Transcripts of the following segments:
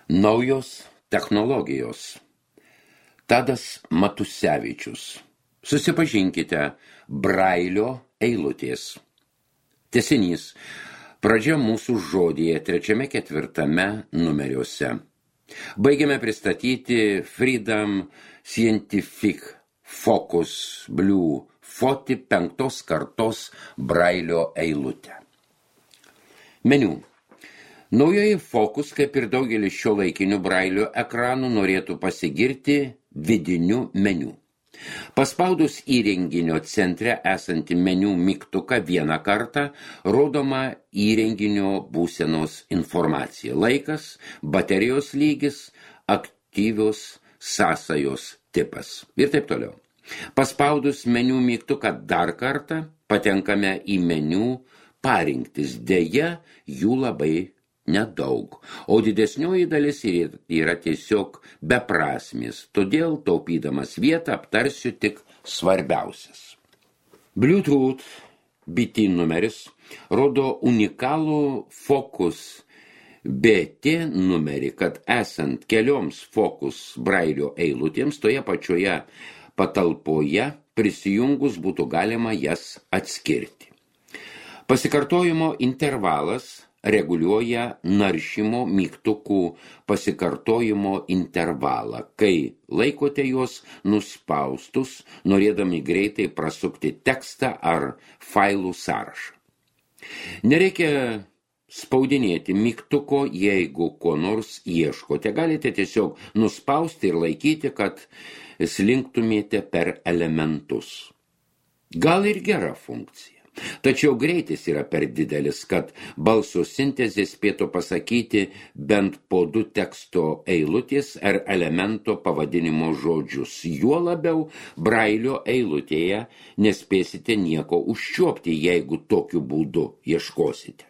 Naujos technologijos. Tadas Matusevičius. Susipažinkite, Brailio eilutės. Tęsinys. Pradžia mūsų žodyje 3-4 numeriuose. Baigiame pristatyti Freedom Scientific Focus Blue 5 kartos Brailio eilutę. Meniu. Naujoji Focus, kaip ir daugelis šiuolaikinių Brailio ekranų, norėtų pasigirti vidiniu meniu. Paspaudus įrenginio centre esantį meniu mygtuką vieną kartą, rodoma įrenginio būsenos informacija, laikas, baterijos lygis, aktyvios sąsajos tipas ir taip toliau. Paspaudus meniu mygtuką dar kartą, patenkame į meniu parinktis, deja jų labai nedaug, o didesnioji dalis yra tiesiog beprasmis, todėl taupydamas vietą aptarsiu tik svarbiausias. Bluetooth BT numeris rodo unikalų Focus BT numerį, kad esant kelioms Focus Brailio eilutėms toje pačioje patalpoje prisijungus būtų galima jas atskirti. Pasikartojimo intervalas reguliuoja naršymo mygtukų pasikartojimo intervalą, kai laikote juos nuspaustus, norėdami greitai prasukti tekstą ar failų sąrašą. Nereikia spaudinėti mygtuko, jeigu ko nors ieškote. Galite tiesiog nuspausti ir laikyti, kad slinktumėte per elementus. Gal ir gera funkcija. Tačiau greitis yra per didelis, kad balso sintezė spėtų pasakyti bent po 2 teksto eilutės ar elemento pavadinimo žodžius. Juo labiau Brailio eilutėje nespėsite nieko užčiuopti, jeigu tokiu būdu ieškosite.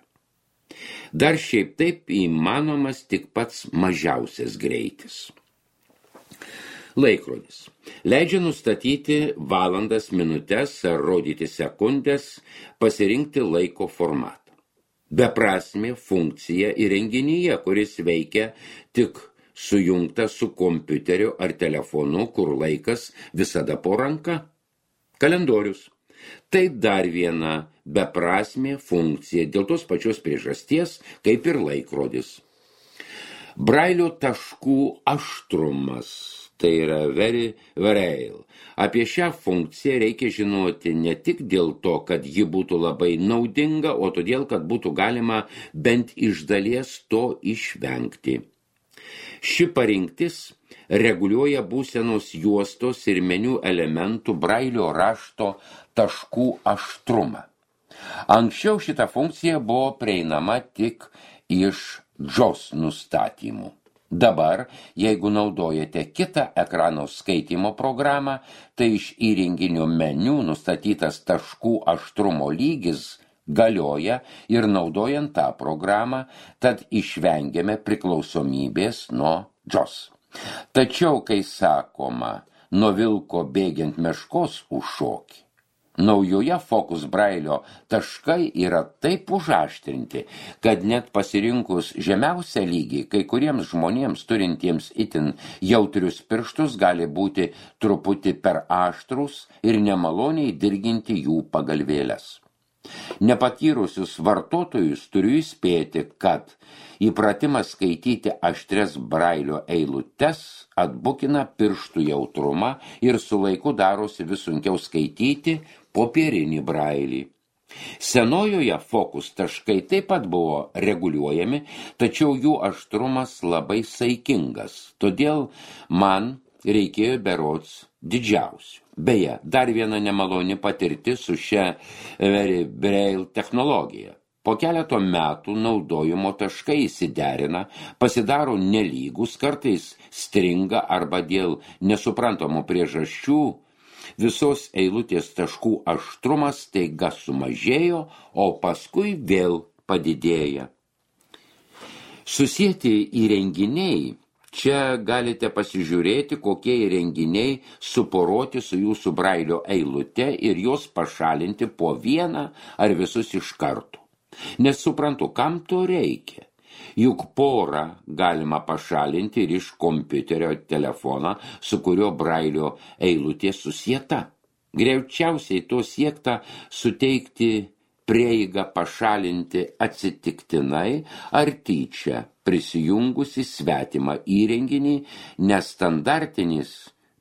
Dar šiaip taip įmanomas tik pats mažiausias greitis. Laikrodis. Leidžia nustatyti valandas, minutes ar rodyti sekundės, pasirinkti laiko formatą. Beprasmė funkcija įrenginyje, kuris veikia tik sujungta su kompiuteriu ar telefonu, kur laikas visada po ranka. Kalendorius. Tai dar viena beprasmė funkcija dėl tos pačios priežasties, kaip ir laikrodis. Brailio taškų aštrumas. Tai yra very braille. Apie šią funkciją reikia žinoti ne tik dėl to, kad ji būtų labai naudinga, o todėl, kad būtų galima bent iš dalies to išvengti. Ši parinktis reguliuoja būsenos juostos ir meniu elementų Brailio rašto taškų aštrumą. Anksčiau šita funkcija buvo prieinama tik iš JAWS nustatymų. Dabar, jeigu naudojate kitą ekrano skaitymo programą, tai iš įrenginio meniu nustatytas taškų aštrumo lygis galioja ir naudojant tą programą, tad išvengiame priklausomybės nuo JAWS. Tačiau, kai sakoma, nuo vilko bėgiant meškos užšoki, naujoje Focus Brailio taškai yra taip užaštrinti, kad net pasirinkus žemiausią lygį, kai kuriems žmonėms turintiems itin jautrius pirštus gali būti truputį per aštrus ir nemaloniai dirginti jų pagalvėles. Nepatyrusius vartotojus turiu įspėti, kad įpratimas skaityti aštrias Brailio eilutes atbukina pirštų jautrumą ir su laiku darosi vis sunkiau skaityti popierinį Brailį. Senojoje Focus taškai taip pat buvo reguliuojami, tačiau jų aštrumas labai saikingas, todėl man reikėjo berods didžiausių. Beje, dar viena nemaloni patirtis su šia very braille technologija. Po keleto metų naudojimo taškai įsiderina, pasidaro nelygus, kartais stringa arba dėl nesuprantamų priežasčių visos eilutės taškų aštrumas staiga sumažėjo, o paskui vėl padidėja. Susieti įrenginiai. Čia galite pasižiūrėti, kokie įrenginiai suporoti su jūsų Brailio eilute ir jos pašalinti po vieną ar visus iš karto. Nes suprantu, kam to reikia. Juk porą galima pašalinti ir iš kompiuterio telefoną, su kurio brailio eilutė susieta. Greičiausiai to siekta suteikti prieigą pašalinti atsitiktinai ar tyčia prisijungusi svetimą įrenginį, nes standartinis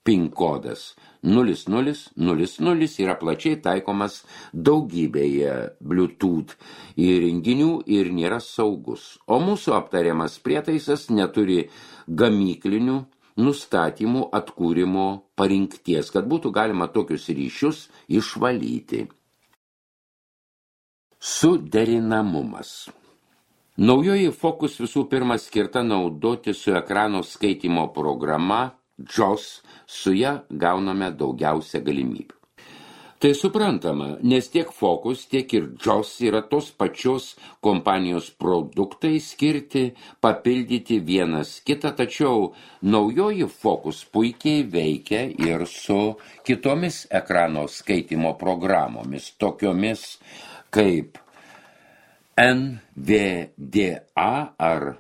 PIN kodas 0000 yra plačiai taikomas daugybėje Bluetooth įrenginių ir nėra saugus, o mūsų aptariamas prietaisas neturi gamyklinių nustatymų atkūrimo parinkties, kad būtų galima tokius ryšius išvalyti. Suderinamumas. Naujoji Focus visų pirma skirta naudoti su ekrano skaitymo programa JAWS, su ja gauname daugiausia galimybių. Tai suprantama, nes tiek Focus, tiek ir JAWS yra tos pačios kompanijos produktai skirti papildyti vienas kitą, tačiau naujoji Focus puikiai veikia ir su kitomis ekrano skaitymo programomis, tokiomis kaip NVDA ar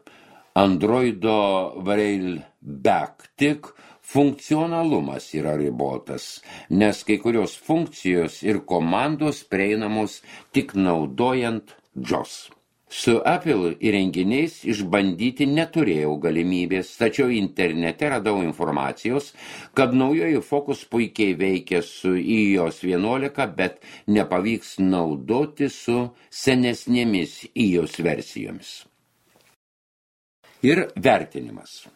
Androido Brailleback, tik funkcionalumas yra ribotas, nes kai kurios funkcijos ir komandos prieinamos tik naudojant JAWS. Su Apple įrenginiais išbandyti neturėjau galimybės, tačiau internete radau informacijos, kad naujoji Focus puikiai veikia su iOS 11, bet nepavyks naudoti su senesnėmis iOS versijomis. Ir vertinimas.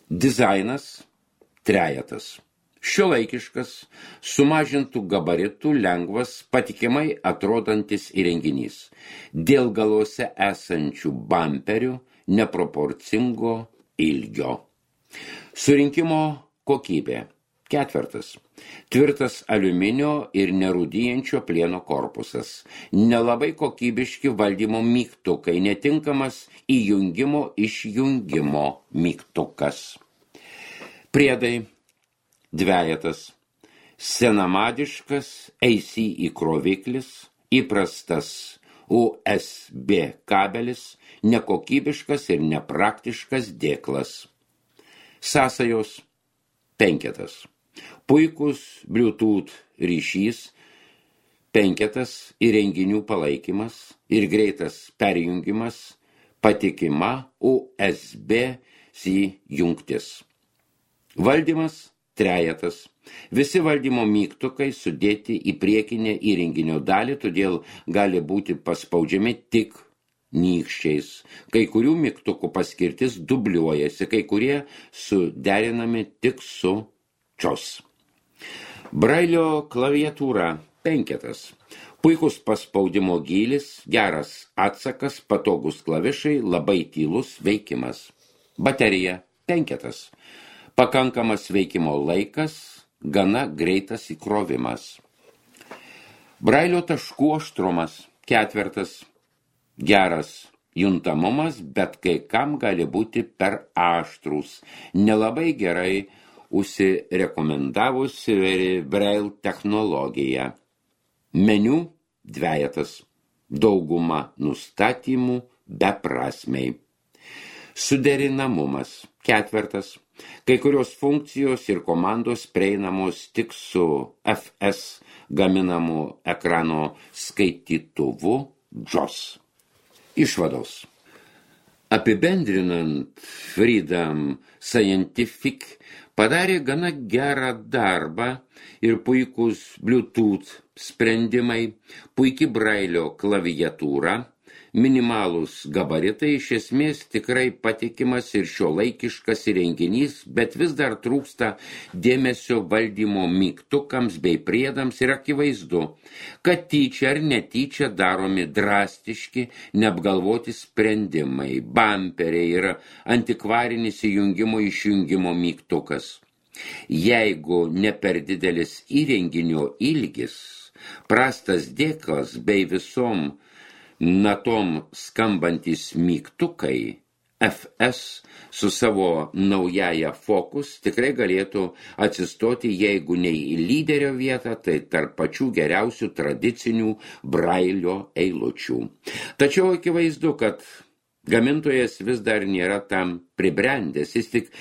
Dizainas trejetas. Šiuolaikiškas, sumažintų gabaritų, lengvas, patikimai atrodantis įrenginys. Dėl galuose esančių bamperių neproporcingo ilgio. Surinkimo kokybė. 4. Tvirtas aliuminio ir nerūdijančio plieno korpusas. Nelabai kokybiški valdymo mygtukai, netinkamas įjungimo išjungimo mygtukas. Priedai. 2. Senamadiškas AC įkroviklis, įprastas USB kabelis, nekokybiškas ir nepraktiškas dėklas. Sąsajos. 5. Puikus Bluetooth ryšys. 5. Įrenginių palaikymas ir greitas perjungimas, patikima USB-C jungtis. Valdymas. 3. Visi valdymo mygtukai sudėti į priekinę įrenginio dalį, todėl gali būti paspaudžiami tik nykščiais. Kai kurių mygtukų paskirtis dubliuojasi, kai kurie suderinami tik su JAWS. Brailio klaviatūra. 5. Puikus paspaudimo gylis, geras atsakas, patogus klavišai, labai tylus veikimas. Baterija. 5. Pakankamas veikimo laikas, gana greitas įkrovimas. Brailio taškų aštrumas. 4. Geras juntamumas, bet kai kam gali būti per aštrus. Nelabai gerai užsirekomendavusi Braille technologija. Meniu. 2. Dauguma nustatymų beprasmiai. Suderinamumas. 4. Kai kurios funkcijos ir komandos prieinamos tik su FS gaminamu ekrano skaitytuvu JAWS. Išvados. Apibendrinant, Freedom Scientific padarė gana gerą darbą ir puikus Bluetooth sprendimai, puiki Brailio klaviatūra, minimalūs gabaritai, iš esmės tikrai patikimas ir šiuolaikiškas įrenginys, bet vis dar trūksta dėmesio valdymo mygtukams bei priedams ir akivaizdu, kad tyčia ar netyčia daromi drastiški, neapgalvoti sprendimai, bamperiai ir antikvarinis įjungimo išjungimo mygtukas. Jeigu ne per didelis įrenginio ilgis, prastas dėklas bei visom natom skambantis mygtukai, FS su savo naująja Focus tikrai galėtų atsistoti, jeigu ne į lyderio vietą, tai tarp pačių geriausių tradicinių Brailio eilučių. Tačiau akivaizdu, kad Gamintojas vis dar nėra tam pribrendęs, jis tik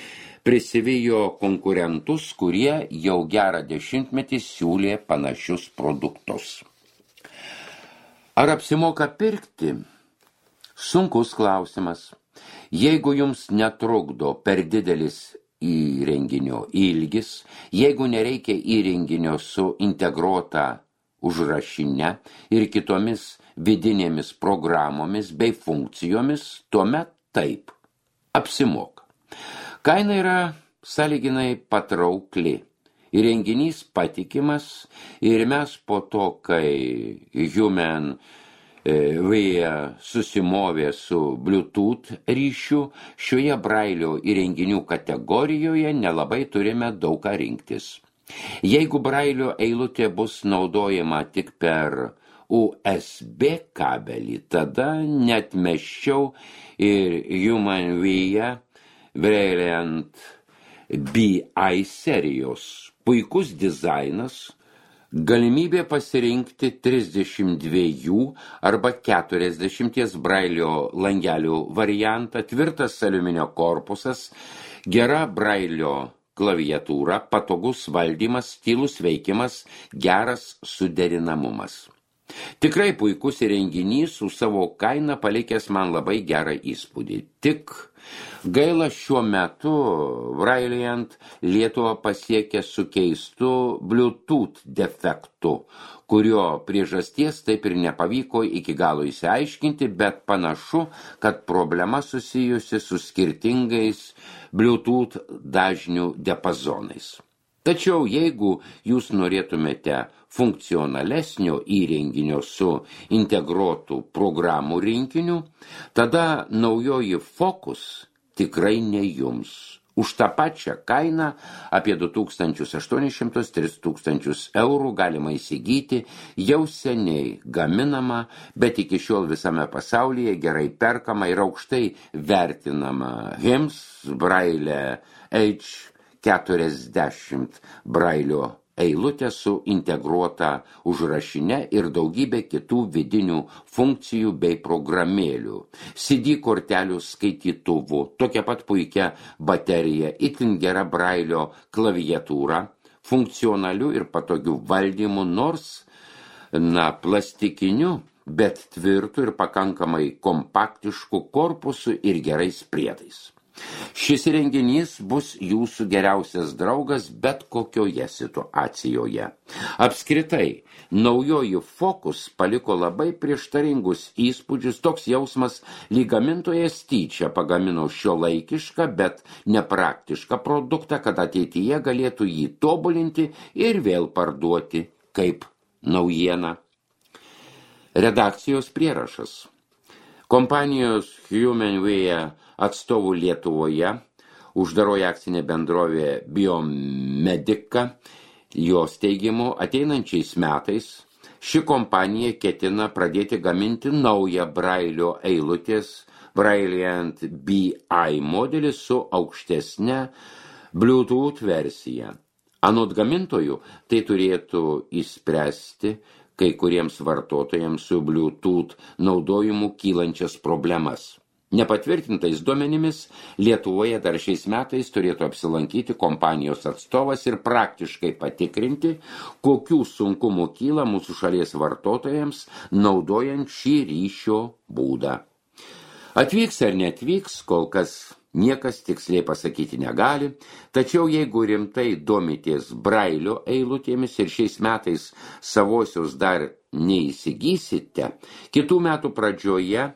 prisivijo konkurentus, kurie jau gerą dešimtmetį siūlė panašius produktus. Ar apsimoka pirkti? Sunkus klausimas. Jeigu jums netrukdo per didelis įrenginio ilgis, jeigu nereikia įrenginio su integruota užrašine ir kitomis vidinėmis programomis bei funkcijomis, tuomet taip, apsimoka. Kaina yra sąlyginai patraukli. Įrenginys patikimas ir mes po to, kai Human Via susimovė su Bluetooth ryšiu, šioje brailio įrenginių kategorijoje nelabai turime daug ką rinktis. Jeigu brailio eilutė bus naudojama tik per USB kabelį, tada neatmesčiau ir Human Via Brilliant BI serijos. Puikus dizainas, galimybė pasirinkti 32 arba 40 brailio langelių variantą, tvirtas aliuminio korpusas, gera brailio klaviatūra, patogus valdymas, tylus veikimas, geras suderinamumas. Tikrai puikus įrenginys su savo kaina palikęs man labai gerą įspūdį. Tik gaila šiuo metu Brilliant Lietuvą pasiekė su keistu Bluetooth defektu, kurio priežasties taip ir nepavyko iki galo išsiaiškinti, bet panašu, kad problema susijusi su skirtingais Bluetooth dažnių diapazonais. Tačiau jeigu jūs norėtumėte funkcionalesnio įrenginio su integruotų programų rinkiniu, tada naujoji Focus tikrai ne jums. Už tą pačią kainą apie 2800–3000 eurų galima įsigyti jau seniai gaminama, bet iki šiol visame pasaulyje gerai perkama ir aukštai vertinama HIMS Braille H40 brailio eilutė su integruota užrašine ir daugybė kitų vidinių funkcijų bei programėlių, CD kortelių skaitytuvu, tokia pat puikia baterija, itin gera brailio klaviatūra, funkcionaliu ir patogiu valdymu, nors, plastikiniu, bet tvirtu ir pakankamai kompaktišku korpusu ir gerais priedais. Šis įrenginys bus jūsų geriausias draugas bet kokioje situacijoje. Apskritai, naujoji Focus paliko labai prieštaringus įspūdžius, toks jausmas, lyg gamintojas tyčia pagamino šiuolaikišką, bet nepraktišką produktą, kad ateityje galėtų jį tobulinti ir vėl parduoti kaip naujieną. Redakcijos prierašas. Kompanijos Human Via atstovų Lietuvoje, uždaroji akcinė bendrovė Biomedica, jos teigimu ateinančiais metais ši kompanija ketina pradėti gaminti naują brailio eilutės Brilliant BI modelį su aukštesne Bluetooth versija. Anot gamintojų tai turėtų išspręsti kai kuriems vartotojams su Bluetooth naudojimu kylančias problemas. Nepatvirtintais duomenimis Lietuvoje dar šiais metais turėtų apsilankyti kompanijos atstovas ir praktiškai patikrinti, kokių sunkumų kyla mūsų šalies vartotojams naudojant šį ryšio būdą. Atvyks ar neatvyks, kol kas niekas tiksliai pasakyti negali, tačiau jeigu rimtai domitės brailio eilutėmis ir šiais metais savosios dar neįsigysite, kitų metų pradžioje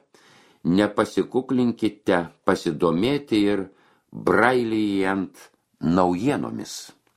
nepasikuklinkite pasidomėti ir Brilliant naujienomis.